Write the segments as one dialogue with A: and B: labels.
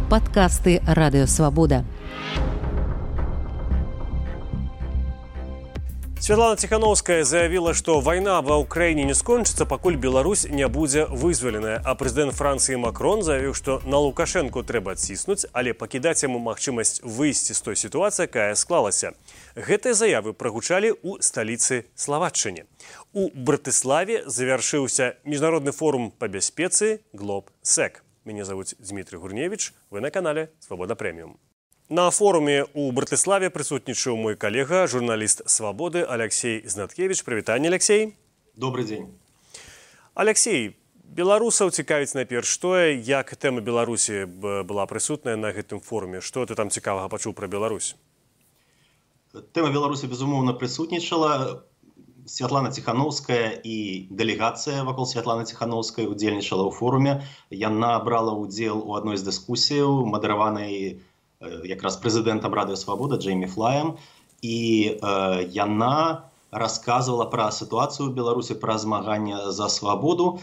A: Падкасты Радыёвабода.
B: Святлана Тихановская заявила, что война ва Украине не скончится, пакуль Беларусь не будзе вызволеная. А президент Франции Макрон заявил, что на Лукашенко трэба адціснуць, але пакідаць яму магчымасць выйсці з той сітуацыі, якая склалася. Гэтыя заявы прагучалі ў сталіцы Словаччыны. У Братыславе завяршыўся міжнародны форум па бяспецы GlobSec. Меня зовут Дмитрий Гурневич, вы на канале Свобода Премиум. На форуме у Братыславе присутнічаў мой коллега, журналист «Свободы» Алексей Знаткевич. Привитание, Алексей.
C: Добрый день.
B: Алексей, беларусаў цікавіць найперш тое, як тэма Беларусі была прысутная на гэтым форуме. Што ты там цікавага пачуў пра Беларусь?
C: Тэма Беларусі, безумоўна, прысутнічала. Святлана Тихановская і дэлегацыя вакол Святланы Тихановскай удзельнічала ў форуме. Яна брала ўдзел у адной з дыскусіяў, мадэраванай якраз прэзідэнтам Радыёвабода Джеймі Флаем. І яна расказвала пра сітуацыю ў Беларусі, пра змаганне за свабоду.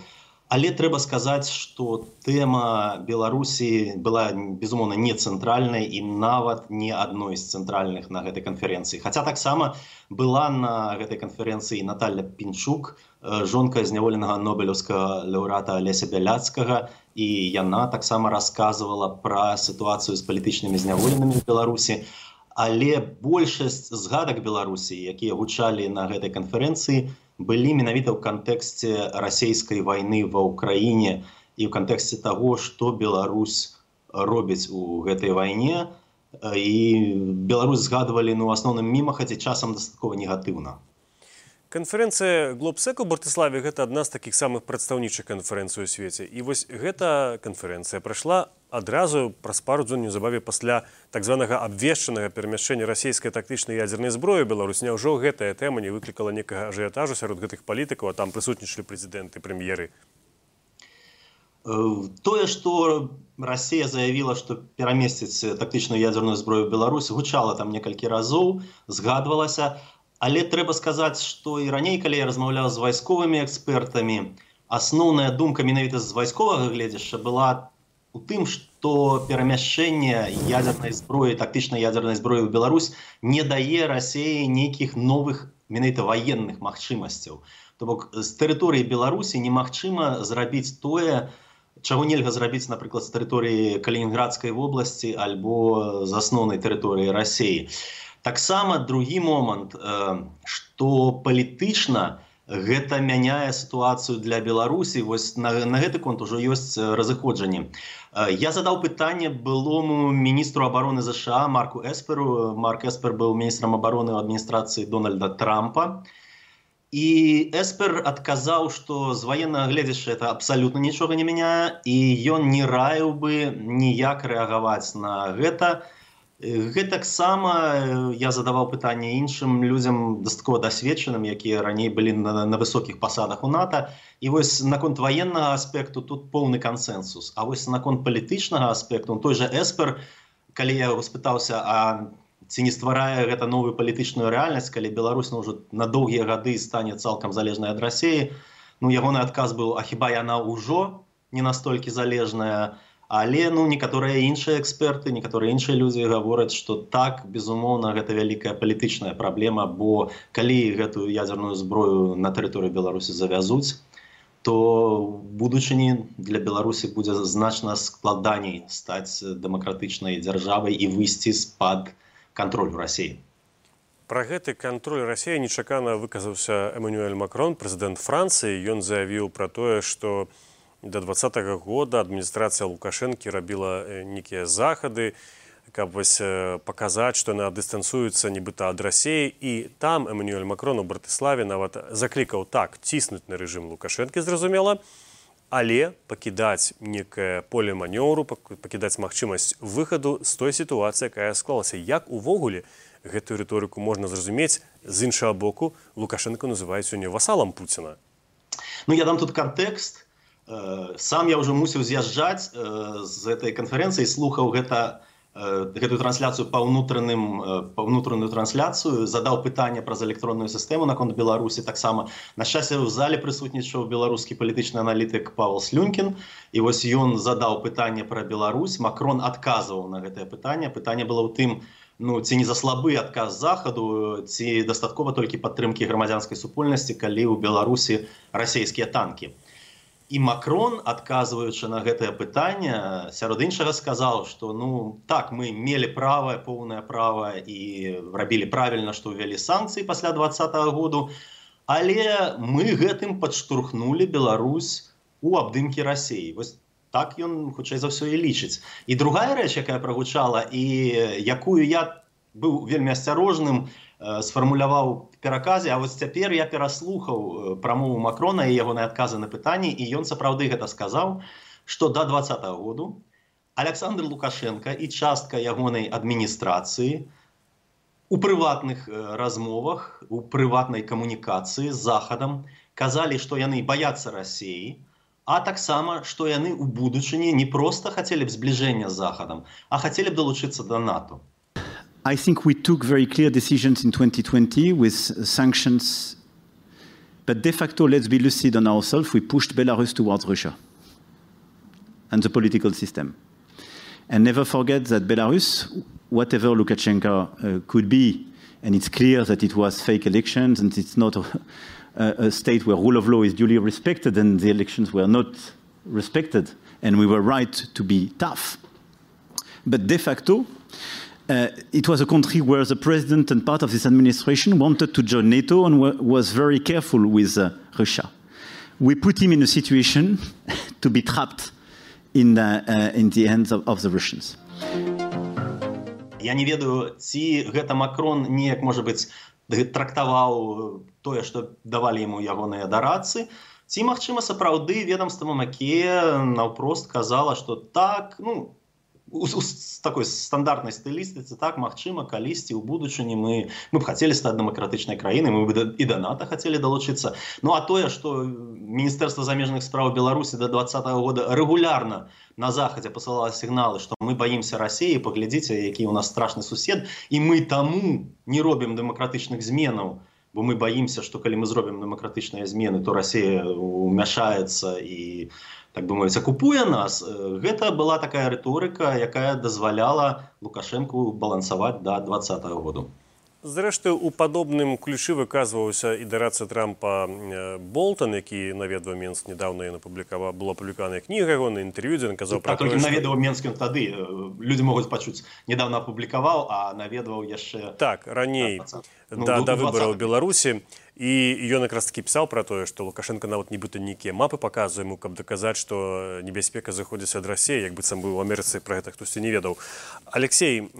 C: Але трэба сказаць, што тэма Беларусі была, безумоўна, не цэнтральнай і нават не адной з цэнтральных на гэтай канферэнцыі. Хаця таксама была на гэтай канферэнцыі Наталья Пінчук, жонка зняволенага нобелеўскага лаўрэата Алеся Бяляцкага, і яна таксама расказвала пра сітуацыю з палітычнымі зняволенымі ў Беларусі. Але большасць згадак Беларусі, якія гучалі на гэтай канферэнцыі, былі менавіта ў кантэксце расійскай вайны ва ўкраіне і ў кантэксце таго, што Беларусь робіць у гэтай вайне. І Беларусь згадвалі, у асноўным мімаха, ці часам дастаткова негатыўна.
B: Канферэнцыя GlobSec у Братыславе – гэта адна з такіх самых прадстаўнічых канферэнцый у свеце. І вось гэта канферэнцыя прайшла адразу праз пару дзён неўзабаве пасля так званага абвешчанага перамяшчэння расійскай тактычнай ядзернай зброі ў Беларусь. Няўжо гэтая тэма не выклікала некага ажыятажу сярод гэтых палітыкаў, а там прысутнічалі прэзідэнты, прэм'еры?
C: Тое, што Расія заявіла, што перамесціць тактычную ядзерную зброю ў Беларусь, гучала там некалькі разоў, згадвалася. Але трэба сказаць, што і раней, калі я размаўляў з вайсковымі экспертамі, асноўная думка менавіта з вайсковага гледзяшча была у тым, што перамяшчэнне ядзернай зброі, тактычнай ядзернай зброі ў Беларусь не дае Расіі нейкіх новых менавіта ваенных магчымасцяў. То бок з тэрыторыі Беларусі немагчыма зрабіць тое, чаго нельга зрабіць, напрыклад, з тэрыторыі Калінінградскай вобласці альбо з асноўнай тэрыторыі Расіі. Таксама другі момант, што палітычна гэта мяняе сітуацыю для Беларусі. Вось на гэты конт ужо ёсць разыходжанні. Я задаў пытанне былому міністру абароны ЗША Марку Эсперу. Марк Эспер быў міністрам абароны ў адміністрацыі Дональда Трампа. І Эспер адказаў, што з ваеннага гледзяшча это абсалютна нічога не мяняе, і ён не раіў бы ніяк рэагаваць на гэта. Гэтаксама я задаваў пытанне іншым людзям дастаткова дасведчаным, якія раней былі на высокіх пасадах у НАТО. І вось наконт ваеннага аспекту тут поўны кансэнсус. А вось наконт палітычнага аспекту, той жа Эспер, калі я яго спытаўся, а ці не стварае гэта новую палітычную рэальнасць, калі Беларусь ўжо на доўгія гады стане цалкам залежнай ад Расіі, ягоны адказ быў, а хіба яна ўжо не настолькі залежная? Але некаторыя іншыя эксперты, некаторыя іншыя людзі гавораць, што так, безумоўна, гэта вялікая палітычная праблема, бо калі гэтую ядзерную зброю на тэрыторыі Беларусі завязуць, то ў будучыні для Беларусі будзе значна складаней стаць дэмакратычнай дзяржавай і выйсці з-пад кантролю Расіі.
B: Пра гэты кантроль Расіі нечакана выказаўся Эммануэль Макрон, прэзідэнт Францыі. Ён заявіў пра тое, што до 2020 года адміністрацыя Лукашэнкі рабіла нейкія захады, каб паказаць, што яна дыстанцыюецца нібыта ад Расіі. І там Эммануэль Макрон у Братыславе нават заклікаў так ціснуць на рэжым Лукашэнкі, зразумела, але пакідаць некае поле манеўру, пакідаць магчымасць выхаду з той сітуацыі, якая склалася. Як увогуле гэтую рыторыку можна зразумець? З іншага боку, Лукашэнка называюць сёння васалам Пуціна.
C: Я дам тут кантэкст. Сам я ўжо мусіў з'язджаць з гэтай канферэнцыі, слухаў гэта гэтую трансляцыю па ўнутраную трансляцыю, задаў пытанне праз электронную сістэму наконт Беларусі таксама. На шчасце, у зале прысутнічаў беларускі палітычны аналітык Павел Слюнкін, і вось ён задаў пытанне пра Беларусь, Макрон адказваў на гэтае пытанне. Пытанне было ў тым, ці не за слабы адказ захаду, ці дастаткова толькі падтрымкі грамадзянскай супольнасці, калі ў Беларусі расійскія танкі. І Макрон, адказваючы на гэтае пытанне, сярод іншага сказаў, што так, мы мелі поўнае права і рабілі правільна, што ўвялі санкцыі пасля 2020 году, але мы гэтым падштурхнулі Беларусь у абдымкі Расіі. Вось так ён, хутчэй за ўсё, і лічыць. І другая рэч, якая прагучала, і якую я быў вельмі асцярожным, сфармуляваў в пераказе, а вось цяпер я пераслухаў прамову Макрона і ягоныя адказы на пытанні, і ён сапраўды гэта сказаў, што да 2020 году Александр Лукашенко і частка ягонай адміністрацыі у прыватных размовах, у прыватнай камунікацыі з Захадам казалі, што яны баяцца Расіі, а таксама, што яны ў будучыні не проста хацелі б збліжэння з Захадам, а хацелі б далучыцца да НАТО.
D: I think we took very clear decisions in 2020 with sanctions, but de facto, let's be lucid on ourselves, we pushed Belarus towards Russia and the political system. And never forget that Belarus, whatever Lukashenko could be, and it's clear that it was fake elections and it's not a state where rule of law is duly respected and the elections were not respected, and we were right to be tough. But de facto, it was a country where the president and part of this administration wanted to join NATO and was very careful with Russia. We put him in a situation to be trapped in the hands of the Russians.
C: Я не ведаю, ці гэта Макрон неяк, можа быць, трактаваў тое, што давалі яму ягоныя дарадцы, ці, магчыма, сапраўды ведамства Мамакея наўпрост казала, што так, у такой стандартнай стылістыцы, так, магчыма, калісьці ў будучыні мы б хацелі стаць дэмакратычнай краінай, мы б і да НАТО хацелі далучыцца. А тое, што Міністэрства замежных спраў Беларусі да 2020 года рэгулярна на Захадзе пасылала сігналы, што мы баімся Расіі, паглядзіце, які ў нас страшны сусед, і мы таму не робім дэмакратычных зменаў, бо мы баімся, што калі мы зробім дэмакратычныя змены, то Расія ўмяшаецца і, так бы мовіць, акупуе нас. Гэта была такая рыторыка, якая дазваляла Лукашэнку балансаваць да 2020 году.
B: Зрэшты, у падобным ключы выказваўся і дарадца Трампа Болтон, які наведваў Менск недавно, была апублікаваная кніга, на інтэрв'ю, дзе ён казаў пра тое,
C: што... Наведваў Менск тады, людзі могуць пачуць, недавно апублікаваў, а наведваў яшчэ...
B: Так, раней, да выбараў Беларусі. І ён якраз такі пісаў пра тое, што Лукашенко нават нібыта нейкія мапы паказвае яму, каб даказаць, што небяспека заходзіць ад Расіі, як быццам быў у Амерыцы, пра гэта хтосьці не ведаў. Алексей,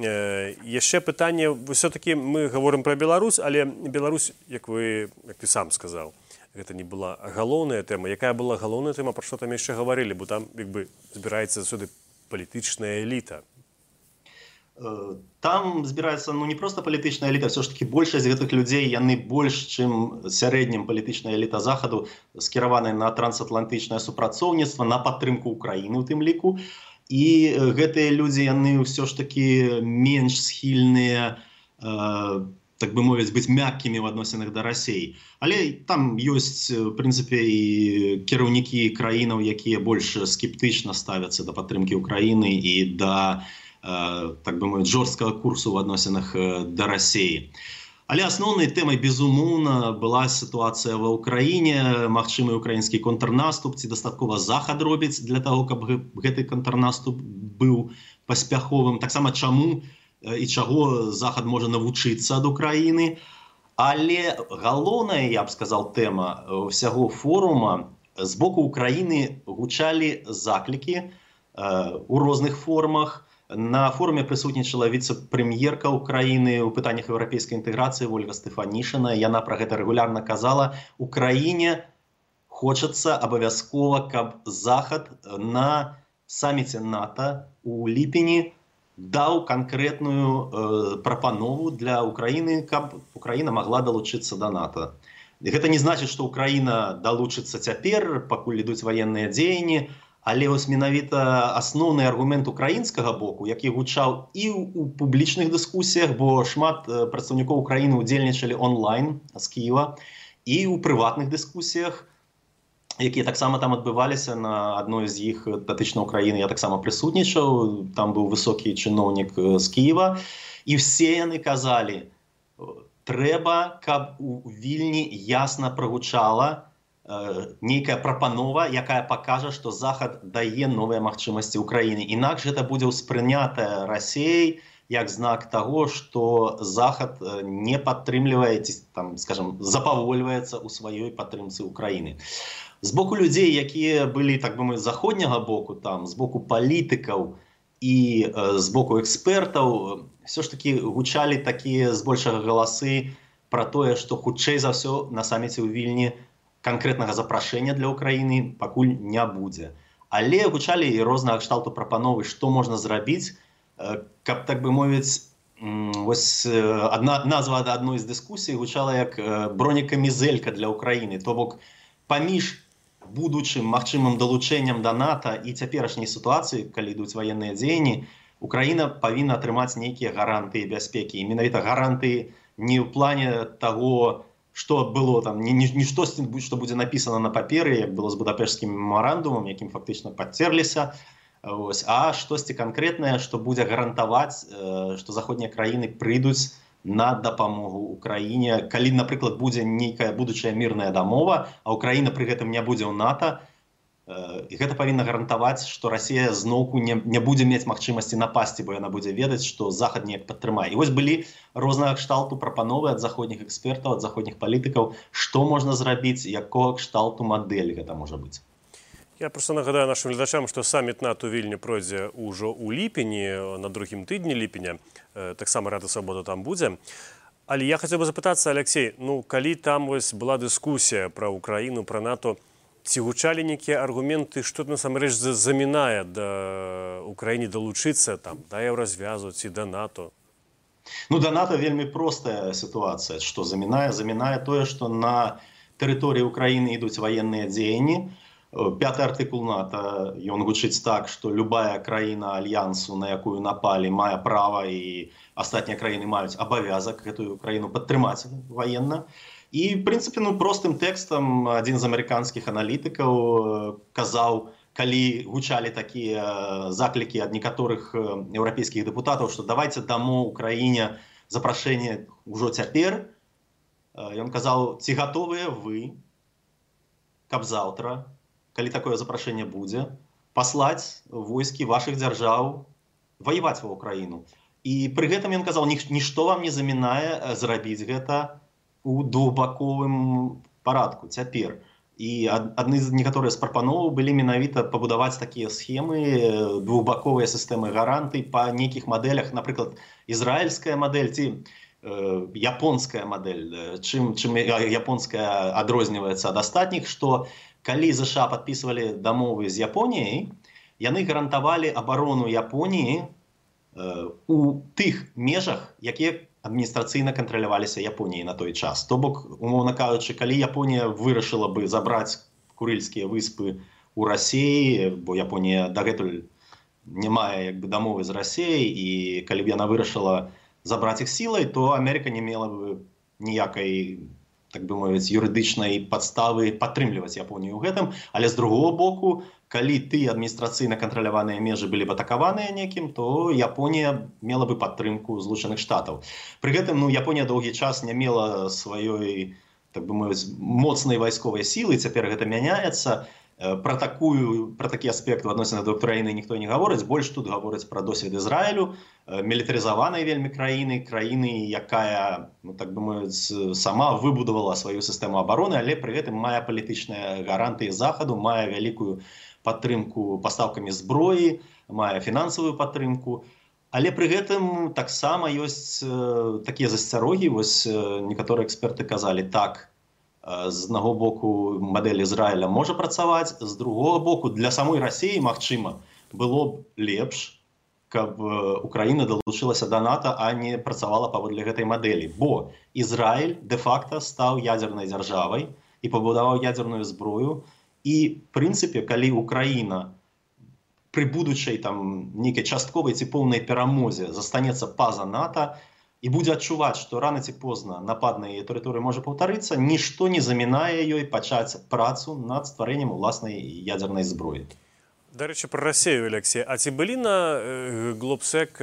B: яшчэ пытанне, ўсё-такі мы гаворым пра Беларусь, але Беларусь, як ты сам сказаў, гэта не была галоўная тэма. Якая была галоўная тэма, пра што там яшчэ гаварылі, бо там, як бы, збіраецца заўсёды палітычная эліта.
C: Там збіраецца не проста палітычная эліта, все ж таки большасць гэтых людзей, яны больш, чым сярэднім палітычная эліта Захаду, скіраваная на трансатлантычнае супрацоўніцтва, на падтрымку Украіны у тым ліку. І гэтыя людзі, яны ўсё ж таки менш схільныя, так бы мовіць, быць мяккімі в адносінах да Расіі. Але там ёсць, в прынцыпе, і кіраўнікі краінаў, якія больш скептычна ставяцца да падтрымкі Украіны і да, так бы мовіць, жорсткага курсу в адносінах да Расіі. Але асноўнай тэмай, безумоўна, была сітуацыя ва ўкраіне, магчымы украінскі контрнаступ, ці дастаткова Захад робіць для таго, каб гэты контрнаступ быў паспяховым. Таксама чаму і чаго Захад можа навучыцца ад Украіны. Але галоўная, я б сказаў, тэма ўсяго форума, з боку Украіны гучалі заклікі у розных формах. На форуме прысутнічала віцэ-прэм'ерка Украіны ў пытаннях еўрапейскай інтэграцыі Ольга Стэфанішына. Яна пра гэта рэгулярна казала. Украіне хочацца абавязкова, каб Захад на саміце НАТО у ліпені даў канкрэтную прапанову для Украіны, каб Украіна магла далучыцца да НАТО. Гэта не значыць, што Украіна далучыцца цяпер, пакуль ідуць ваенныя дзеянні, Але вось менавіта асноўны аргумент украінскага боку, які гучаў і ў публічных дыскусіях, бо шмат прадстаўнікоў Украіны удзельнічалі онлайн з Кіева, і ў прыватных дыскусіях, якія таксама там адбываліся, на адной з іх датычна Украіны я таксама прысутнічаў, там быў высокі чыноўнік з Кіева, і все яны казалі, трэба, каб у Вільні ясна прагучала нейкая прапанова, якая пакажа, што Захад дае новыя магчымасці Украіне. Інакш гэта будзе ўспрынята Расіяй як знак таго, што Захад не падтрымлівае, там, скажем, запавольваецца ў сваёй падтрымцы Украіны. З боку людзей, якія былі, так бы мовіць, з заходняга боку, там, з боку палітыкаў і з боку экспертаў, все ж таки гучалі такія збольшага галасы пра тое, што хутчэй за ўсё на саміце ў Вільні канкрэтнага запрашэння для Украіны пакуль не будзе. Але гучалі і рознага кшталту прапановы, што можна зрабіць, каб, так бы мовіць, вось назва адной з дыскусій гучала як бронекамізэлька для Украіны. То бок, паміж будучым магчымым далучэннем да НАТО і цяперашняй сітуацыі, калі ідуць ваенныя дзеянні, Украіна павінна атрымаць нейкія гарантыі бяспекі. І менавіта гарантыі не ў плане таго, што было там, не штосьці, што будзе напісана на паперы, як было з Будапешскім мемарандумам, якім фактычна падцерліся, а штосьці канкрэтнае, што будзе гарантаваць, што заходнія краіны прыйдуць на дапамогу Украіне. Калі, напрыклад, будзе нейкая будучая мірная дамова, а Украіна пры гэтым не будзе ў НАТО, і гэта павінна гарантаваць, што Расія зноўку не будзе мець магчымасці напасці, бо яна будзе ведаць, што Захад неяк падтрымае. І вось былі рознага кшталту прапановы ад заходніх экспертаў, ад заходніх палітыкаў, што можна зрабіць, якога кшталту мадэль гэта можа быць.
B: Я просто нагадаю нашим глядачам, што саміт НАТО ў Вільні пройдзе ўжо ў ліпені, на другім тыдні ліпеня, таксама Рада Свабода там будзе. Але я хацеў бы запытацца, Алексей, ну, калі там вось была дыскусія пра Украіну, пра НАТО, ці гучалі нейкія аргументы, што насамрэч замінае да Украіне далучыцца там, да еўразвязу ці да НАТО?
C: Ну, да НАТО вельмі простая сітуацыя. Што замінае? Замінае тое, што на тэрыторыі Украіны ідуць ваенныя дзеянні. 5-й артыкул НАТО, ён гучыць так, што любая краіна альянсу, на якую напалі, мае права, і астатнія краіны маюць абавязак гэтую краіну падтрымаць ваенна. І, в прынцыпе, ну, простым тэкстам адзін з амерыканскіх аналітыкаў казаў, калі гучалі такія заклікі ад некаторых еўрапейскіх дэпутатаў, што давайце дамо Украіне запрашэнне ўжо цяпер. Ён казаў, ці гатовыя вы, каб заўтра, калі такое запрашэнне будзе, паслаць войскі вашых дзяржаў ваяваць ва Украіну. І пры гэтым ён казаў, нішто вам не замінае зрабіць гэта у двухбаковым парадку цяпер. І адны з некаторыя з прапановаў былі менавіта пабудаваць такія схемы, двухбаковыя сістэмы гарантый па нейкіх мадэлях, напрыклад, ізраільская мадэль ці японская мадэль. Чым японская адрозніваецца ад астатніх, што калі ЗША падпісвалі дамовы з Японіяй, яны гарантавалі абарону Японіі у тых межах, якія адміністрацыйна кантраляваліся Японіяй на той час. То бок, умоўна кажучы, калі Японія вырашыла бы забраць Курыльскія выспы ў Расіі, бо Японія дагэтуль не мае як бы дамовы з Расіяй, і калі б яна вырашыла забраць іх сілай, то Амерыка не мела бы ніякай, так бы мовіць, юрыдычнай падставы падтрымліваць Японію ў гэтым. Але з другого боку, калі тыя адміністрацыйна кантраляваныя межы былі б атакаваныя некім, то Японія мела бы падтрымку Злучаных Штатаў. Пры гэтым, ну, Японія доўгі час не мела сваёй, так бы мовіць, моцнай вайсковай сілы, цяпер гэта мяняецца. Пра такі аспект у адносінах да Украіны ніхто не гаворыць, больш тут гаворыць пра досвед Ізраілю, мілітарызаванай вельмі краіны, якая, ну, так бы мовіць, сама выбудавала сваю сістэму абароны, але пры гэтым мае палітычныя гарантыі Захаду, мае вялікую падтрымку пастаўкамі зброі, мае фінансавую падтрымку. Але пры гэтым таксама ёсць такія засцярогі, вось некаторыя эксперты казалі, так, з аднаго боку мадэль Ізраіля можа працаваць, з другого боку для самой Расіі, магчыма, было б лепш, каб Украіна далучылася да НАТО, а не працавала паводле гэтай мадэлі. Бо Ізраіль дэ-факта стаў ядзернай дзяржавай і пабудаваў ядзерную зброю. І, в прынцыпе, калі Украіна пры будучай там нейкай частковай ці поўнай перамозе застанецца па-за НАТО і будзе адчуваць, што рана ці позна напад на яе тэрыторыю можа паўтарыцца, нішто не замінае ёй пачаць працу над стварэннем уласнай ядзернай зброі.
B: Дарэчы, пра Расею, Алексей, а ці былі на Глобсек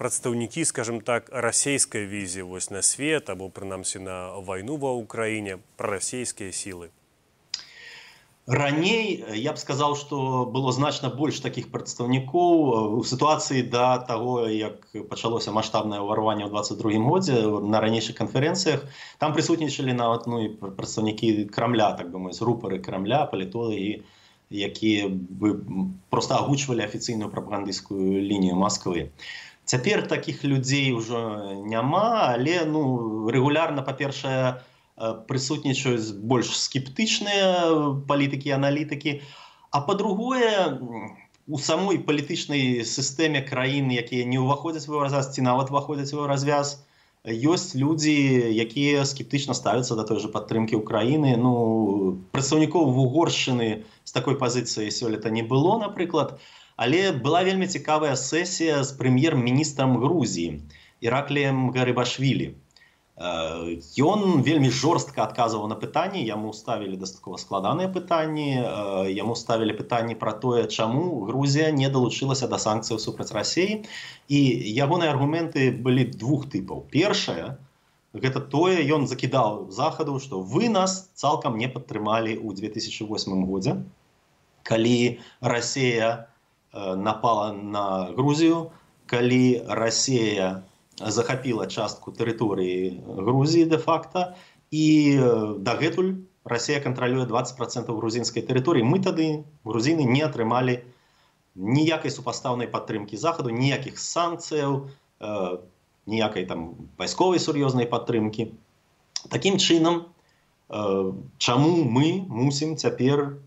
B: прадстаўнікі, скажем так, расейскай візіі вось на свет, або прынамсі на вайну ва ўкраіне, прарасейскія сілы?
C: Раней я б сказаў, што было значна больш такіх прадстаўнікоў у сітуацыі да таго, як пачалося маштабнае ўварванне ў 22-м годзе на ранейшых канферэнцыях. Там прысутнічалі нават прадстаўнікі Крамля, так бы мовіць, рупары Крамля, палітолагі, якія бы проста агучвалі афіцыйную прапагандысцкую лінію Масквы. Цяпер такіх людзей ўжо няма, але рэгулярна, па-першае, прысутнічаюць больш скептычныя палітыкі і аналітыкі, а па-другое, у самой палітычнай сістэме краін, якія не ўваходзяць у еўразвяз ці нават уваходзяць у еўразвяз, ёсць людзі, якія скептычна ставяцца да той жа падтрымкі ўкраіны. Прадстаўнікоў Угоршчыны з такой пазіцыяй сёлета не было, напрыклад, але была вельмі цікавая сесія з прэм'ер-міністрам Грузіі Іракліем Гарыбашвілі. Ён вельмі жорстка адказваў на пытанні, яму ставілі дастаткова складаныя пытанні, яму ставілі пытанні пра тое, чаму Грузія не далучылася да санкцыяў супраць Расіі. І ягоныя аргументы былі двух тыпаў. Першае, гэта тое, ён закідаў Захаду, што вы нас цалкам не падтрымалі ў 2008 годзе, калі Расія напала на Грузію, калі Расія захапіла частку тэрыторыі Грузіі де-факта, і дагэтуль Расія кантралюе 20% грузінскай тэрыторыі. Мы тады, грузіны, не атрымалі ніякай супастаўнай падтрымкі Захаду, ніякіх санкцыяў, ніякай там вайсковай сур'ёзнай падтрымкі. Такім чынам, чаму мы мусім цяпер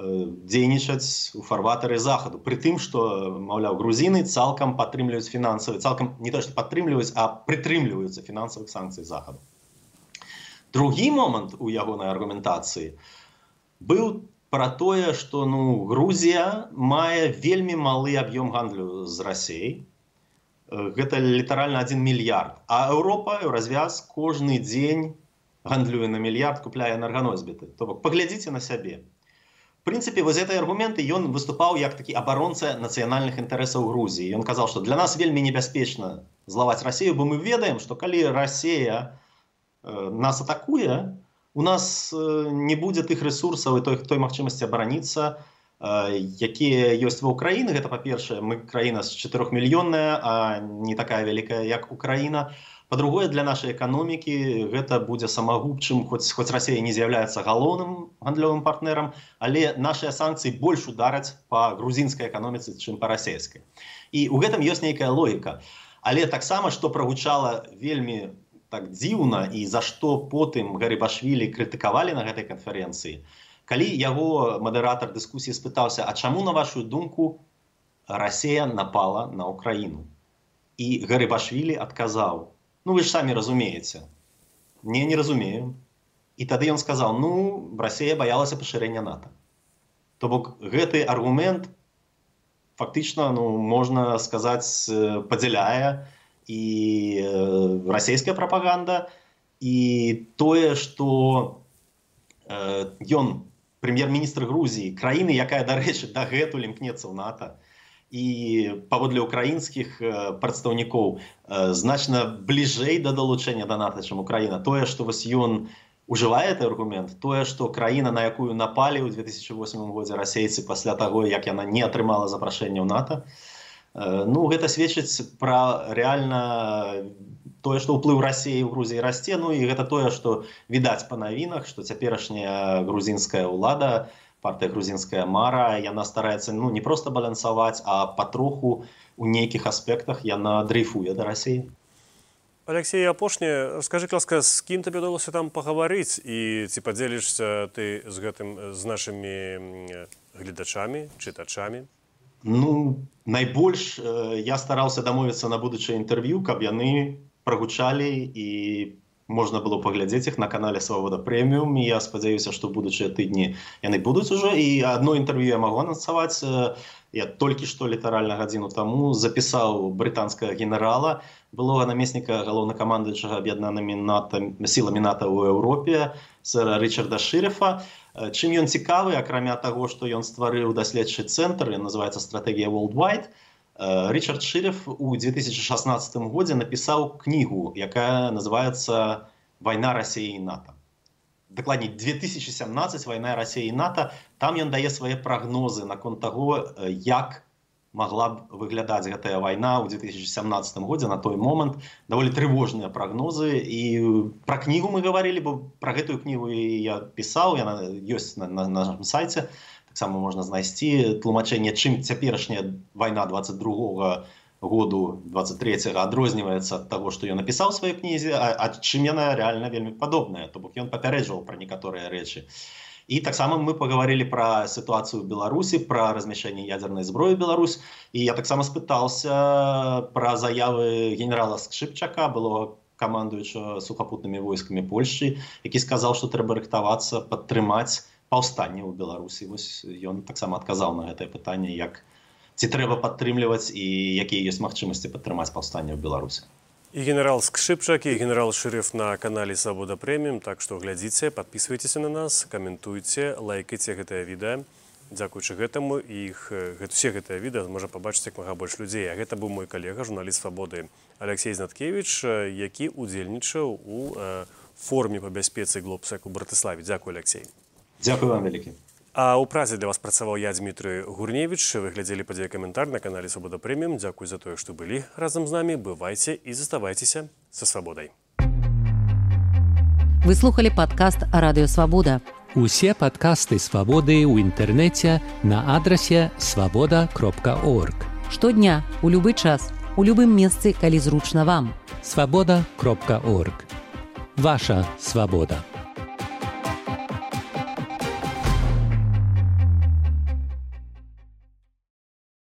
C: дзейнічаць у фарватары Захаду, пры тым, што, маўляў, грузіны цалкам падтрымліваюць фінансавыя, цалкам не то, што падтрымліваюць, а прытрымліваюцца фінансавых санкцый Захаду. Другі момант у ягонай аргументацыі быў пра тое, што Грузія мае вельмі малы аб'ём гандлю з Расіяй. Гэта літаральна 1 мільярд. А Еўропа, еўразвяз кожны дзень гандлюе на мільярд, купляе энерганосьбіты. То бок, паглядзіце на сябе. В прынцыпе, вось гэтай аргументы ён выступаў як такі абаронца нацыянальных інтарэсаў Грузіі. Ён казаў, што для нас вельмі небяспечна злаваць Расію, бо мы ведаем, што калі Расія нас атакуе, у нас не будзе тых рэсурсаў і той магчымасці абараніцца, якія ёсць ва ўкраіны. Гэта, па-першае, мы краіна з 4-мільённая, а не такая вялікая, як Украіна. Па-другое, для нашай эканомікі гэта будзе самагубчым, хоць Расія не з'яўляецца галоўным гандлёвым партнерам, але нашыя санкцыі больш удараць па грузінскай эканоміцы, чым па расійскай. І ў гэтым ёсць нейкая логіка. Але таксама, што прагучала вельмі так дзіўна і за што потым Гарыбашвілі крытыкавалі на гэтай канферэнцыі, калі яго мадэратар дыскусіі спытаўся, а чаму, на вашу думку, Расія напала на Украіну? І Гарыбашвілі адказаў: вы ж самі разумееце. Не разумею. І тады ён сказаў: Расія баялася пашырэння НАТО. То бок, гэты аргумент фактычна, можна сказаць, падзяляе і расійская прапаганда, і тое, што ён прэм'ер-міністр Грузіі, краіны, якая, дарэчы, дагэтуль імкнецца ў НАТО, і паводле украінскіх прадстаўнікоў значна бліжэй да далучэння да НАТО, чым Украіна. Тое, што вось ён ужывае гэты аргумент, тое, што краіна, на якую напалі ў 2008 годзе расейцы пасля таго, як яна не атрымала запрашэння ў НАТО, гэта сведчыць пра рэальна тое, што ўплыў Расіі ў Грузіі расце, і гэта тое, што відаць па навінах, што цяперашняя грузінская ўлада, партыя грузінская мара, яна стараецца не проста балансаваць, а патроху у нейкіх аспектах яна дрейфуе да Расіі.
B: Алексей, апошняе, скажы, ласка, з кім табе ўдалося там пагаварыць і ці падзелішся ты з гэтым з нашымі гледачамі, чытачамі?
C: Найбольш я стараўся дамовіцца на будучае інтэрв'ю, каб яны прагучалі і можна было паглядзець іх на канале Свабода Прэміум. Я спадзяюся, што будучыя тыдні яны будуць ужо. І одно інтэрв'ю я магу анансаваць. Я толькі што літаральна гадзіну таму запісаў брытанскага генерала, былога намесніка галоўнакамандуючага аб'яднанымі сіламі НАТО ў Еўропе, сэра Рычарда Шырефа. Чым ён цікавы, акрамя таго, што ён стварыў даследчы цэнтр, ён называецца «Стратэгія Worldwide», Рычард Шыреф у 2016 годзе напісаў кнігу, якая называецца «Вайна Расіі і НАТО». Дакладней, 2017 «Вайна Расіі і НАТО». Там ён дае свае прагнозы наконт таго, як могла б выглядаць гэтая вайна ў 2017 годзе на той момант. Даволі трывожныя прагнозы. І пра кнігу мы гаварылі, бо пра гэтую кнігу я пісаў, яна ёсць на нашым сайце. Таксама можна знайсці тлумачэнне, чым цяперашняя вайна 22-го году, 23-го адрозніваецца ад таго, што ён напісаў у сваёй кнізе, а чым яна рэальна вельмі падобная. То бок ён папярэджваў пра некаторыя рэчы. І таксама мы паговорили пра сітуацыю ў Беларусі, пра размяшчэнне ядзернай зброі ў Беларусь. І я таксама спытаўся пра заявы генерала Скшыпчака, былога камандуючага сухапутнымі войскамі Польшчы, які сказаў, што трэба рыхтавацца, падтрымаць паўстанне ў Беларусі. Вось ён таксама адказаў на гэтае пытанне, ці трэба падтрымліваць і якія ёсць магчымасці падтрымаць паўстанне ў Беларусі.
B: І генерал Скшыпчак, і генерал Шыреф на канале Свабода Прэміум. Так што глядзіце, падпісвайцеся на нас, каментуйце, лайкайце гэтае відэа. Дзякуючы гэтаму усе гэтае відэа можа пабачыць як мага больш людзей. А гэта быў мой калега, журналіст Свабоды Алексей Знаткевіч, які удзельнічаў у форуме па бяспецы Глобсек у Братыславе. Дзякуй, Алексей.
C: Дзякуй вам вялікі.
B: А ў празе для вас працаваў я, Дмітрый Гурневіч. Вы глядзелі падзеі каментар на канале Свабода Прэміум. Дзякуй за тое, што былі разам з намі. Бывайце і заставайцеся са свабодай.
A: Вы слухали падкаст «Радыё Свабода».
E: Усе падкасты Свабоды ў інтэрнэце на адрасе свабода.орг.
A: Штодня, у любы час, у любым месцы, калі зручна вам.
E: Свабода.орг. Ваша свабода.